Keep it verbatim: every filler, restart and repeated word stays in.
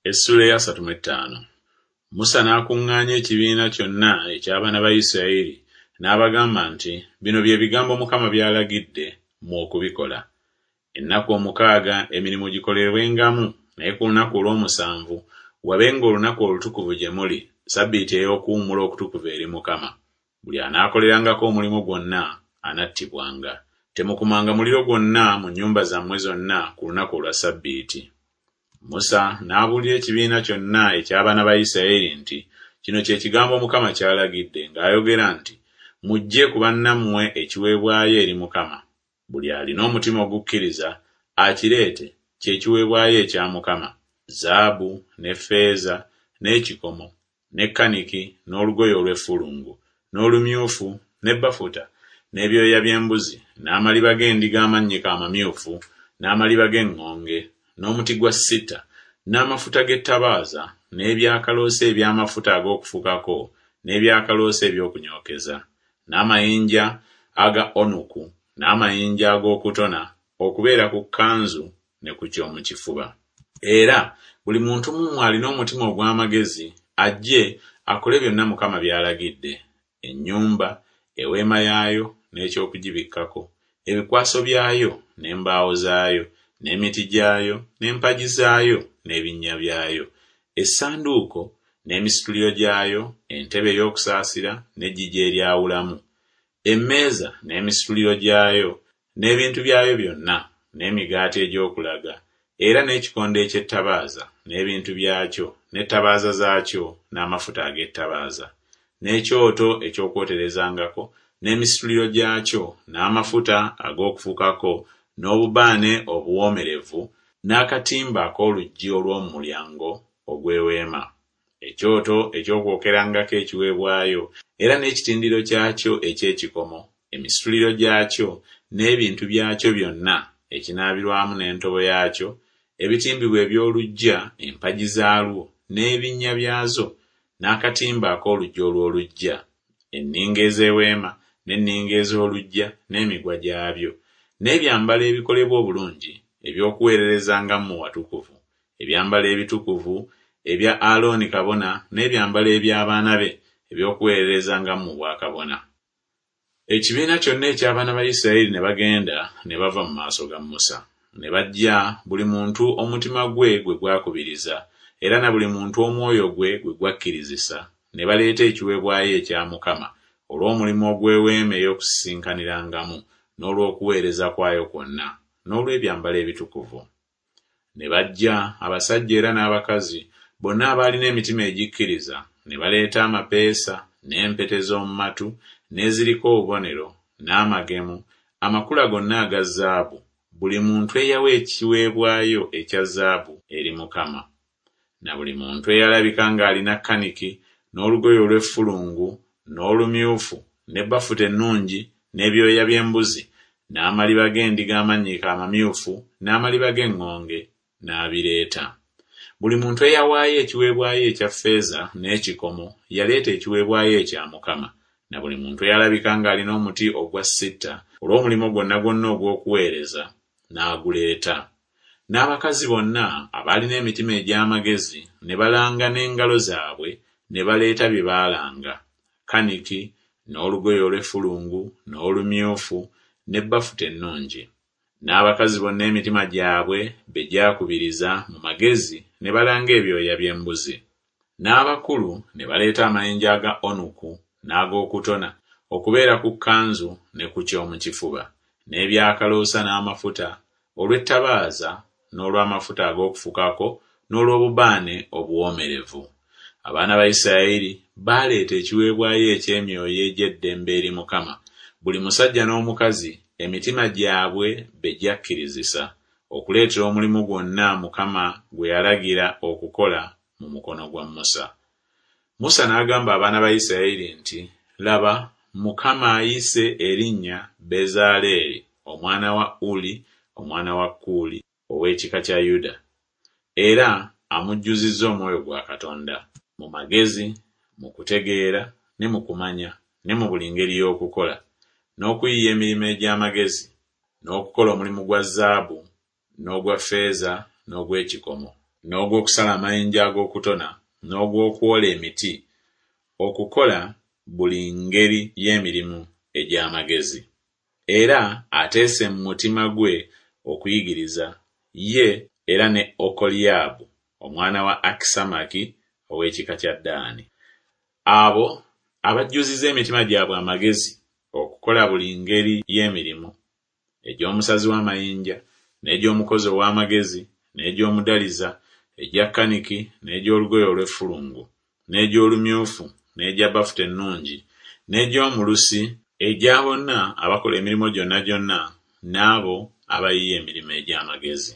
Essuula ey'asatu mu ettaano. Musa n'akuŋŋaanya ekibiina kyonna eky'abaana ba Isirayiri n'abagamba nti, Bino bye bigambo Mukama by'alagidde mmwe okubikola. Ennaku omukaaga emirimu gikolebwengamu, naye ku lunaku olw'omusanvu wabenga olunaku olutukuvu gye muli, ssabbiiti ey'okuwummula okutukuvu eri Mukama. Buli anaakolerangako omulimu gwonna anattibwanga. Temukumanga muliro gwonna mu nnyumba zammwe zonna ku lunaku olwa ssabbiiti. Musa n'abuulira ekibiina kyonna eky'abaana ba Isirayiri nti, Kino kye kigambo Mukama ky'alagidde ng'ayogera nti, Muggye ku bannammwe ekiweebwayo eri Mukama. Buli alina omutima ogukkiriza akireete, kye kiweebwayo ekya Mukama, zaabu ne ffeeza n'ekikomo ne kaniki n'olugoye olw'effulungu n'olumyufu ne bafuta n'ebyoya by'embuzi n'amaliba g'endiga amannyike amamyufu n'amaliba g'eŋŋonge n'omuti gwa sitta n'amafuta g'ettabaaza n'ebyakaloosa eby'amafuta ag'okufukako n'ebyakaloosa eby'okunyookeza n'amayinja aga onuku n'amayinja ag'okutona okubeera ku kkanzu ne ku ky'omu kifuba. Era buli muntu mu mmwe alina omutima ogw'amagezi ajje akole byonna Mukama by'alagidde, ennyumba, eweema yaayo n'eky'okugibikkako, ebikwaso byayo n'embaawo zaayo, n'emiti gyayo n'empagi zaayo n'ebinnya byayo, essanduuko n'emisituliro gyayo, entebe ey'okusaasira n'eggigi eryawulamu, emmeeza n'emisituliro gyayo n'ebintu byayo byonna, n'emigaati egy'okulaga, era n'ekikondo eky'ettabaaza n'ebintu byakyo n'ettabaaza zaakyo n'amafuta ag'ettabaaza, n'ekyoto eky'okwoterezangako n'emisituliro gyakyo n'amafuta ag'okufukako n'obubaane obuwoomerevu n'akatimba ak'oluggi olw'omu mulyango ogw'eweema, ekyoto eky'okwokerangako ekiweebwayo era n'ekitindiro kyakyo eky'ekikomo, emisituliro gyakyo n'ebintu byakyo byonna, ekinaabirwamu n'entobo yaakyo, ebitimbibwa eby'oluggya, empagi zaalwo n'ebinnya byazo, n'akatimba ak'oluggi olw'oluggya, enninga ez'eweema n'enninga ez'oluggya n'emigwa gyabyo, n'ebyambalo ebikolebwa obulungi eby'okuweererezangamu mu watukuvu, ebyambalo ebitukuvu ebya Alooni kabona n'ebyambalo eby'abaana be eby'okuweererezangamu mu bwakabona. Ekibiina kyonna eky'abaana ba Isirayiri ne bagenda ne bava mu maaso ga Musa. Ne baggya buli muntu omutima gwe gwe gwakubiriza, era na buli muntu omwoyo gwe gwe gwakkirizisa, ne baleeta ekiweebwayo ekya Mukama olw'omulimu ogw'eweema ey'okusisinkanirangamu n'olw'okuweereza kwayo kwonna, n'olw'ebyambalo ebitukuvu. Ne bajja abasajja era n'abakazi, bonna abaalina emitima egikkiriza, ne baleeta amapeesa, n'empeta ez'omu matu, n'eziriko obubonero, n'amagemu, amakula gonna aga zaabu, buli muntu eyawa ekiweebwayo ekya zaabu eri Mukama. Na buli muntu eyalabika ng'alina kaniki, n'olugoye olw'effulungu, n'olumyufu, ne bafuta ennungi, n'ebyoya by'embuzi, n'amaliba g'endiga amannyike amamyufu, n'amaliba g'eŋŋonge, n'abireeta. Buli muntu eyawaayo ekiweebwayo ekya ffeeza n'ekikomo yaleeta ekiweebwayo ekya Mukama, na buli muntu eyalabika ng'alina omuti ogwa sitta olw'omulimu gwonna gwonna ogw'okuweereza, n'aguleeta. N'abakazi bonna abaalina emitima egy'amagezi ne balanga n'engalo zaabwe ne baleeta bye baalanga, kaniki, n'olugoye olw'effulungu, n'olumyufu, ne bafuta ennungi. N'abakazi bonna emitima gyabwe be gyakubiriza mu magezi ne balanga ebyoya by'embuzi. N'abakulu ne baleeta amayinja aga onuku n'ag'okutona okubeera ku kkanzu ne ku ky'omu kifuba, n'ebyakaloosa n'amafuta, olw'ettabaaza n'olw'amafuta ag'okufukako n'olw'obubaane obuwoomerevu. Abaana ba Isirayiri baaleeta ekiweebwayo eky'emyoyo egy'eddembe eri Mukama, buli musajja n'omukazi emitima gyabwe be gyakkirizisa, okuleetera omulimu gwonna Mukama gwe yalagira okukola mu mukono gwa Musa. Musa n'agamba abaana ba Isirayiri nti, Laba, Mukama ayise erinnya Bezaaleeri omwana wa Uli omwana wa Kuuli ow'ekika kya Yuda, era amujjuzizza omwoyo gwa Katonda, mu magezi, mu kutegeera ne mu kumanya ne mu buli ngeri y'okukola, n'okuyiiya emirimu egy'amagezi, n'okukola omulimu gwa zaabu n'ogwa ffeeza n'ogw'ekikomo, n'ogw'okusala amayinja ag'okutona, n'ogw'okwola emiti, okukola buli ngeri y'emirimu egy'amagezi. Era ateese mu mutima gwe okuyigiriza, ye era ne Okoliyaabu omwana wa Akisamaki ow'ekika kya Ddaani. Abo abajjuzizza emitima gyabwe amagezi okukola buli ngeri y'emirimu, egy'omusazi w'amayinja, n'egy'omukozi ow'amagezi, n'egy'omudaliza, egya kaniki, n'egy'olugoye olw'effulungu, n'egy'olumyufu, n'egya bafuta ennungi, n'egy'omulusi, egya bonna abakola emirimu gyonna gyonna, n'abo abayiiya emirimu egy'amagezi.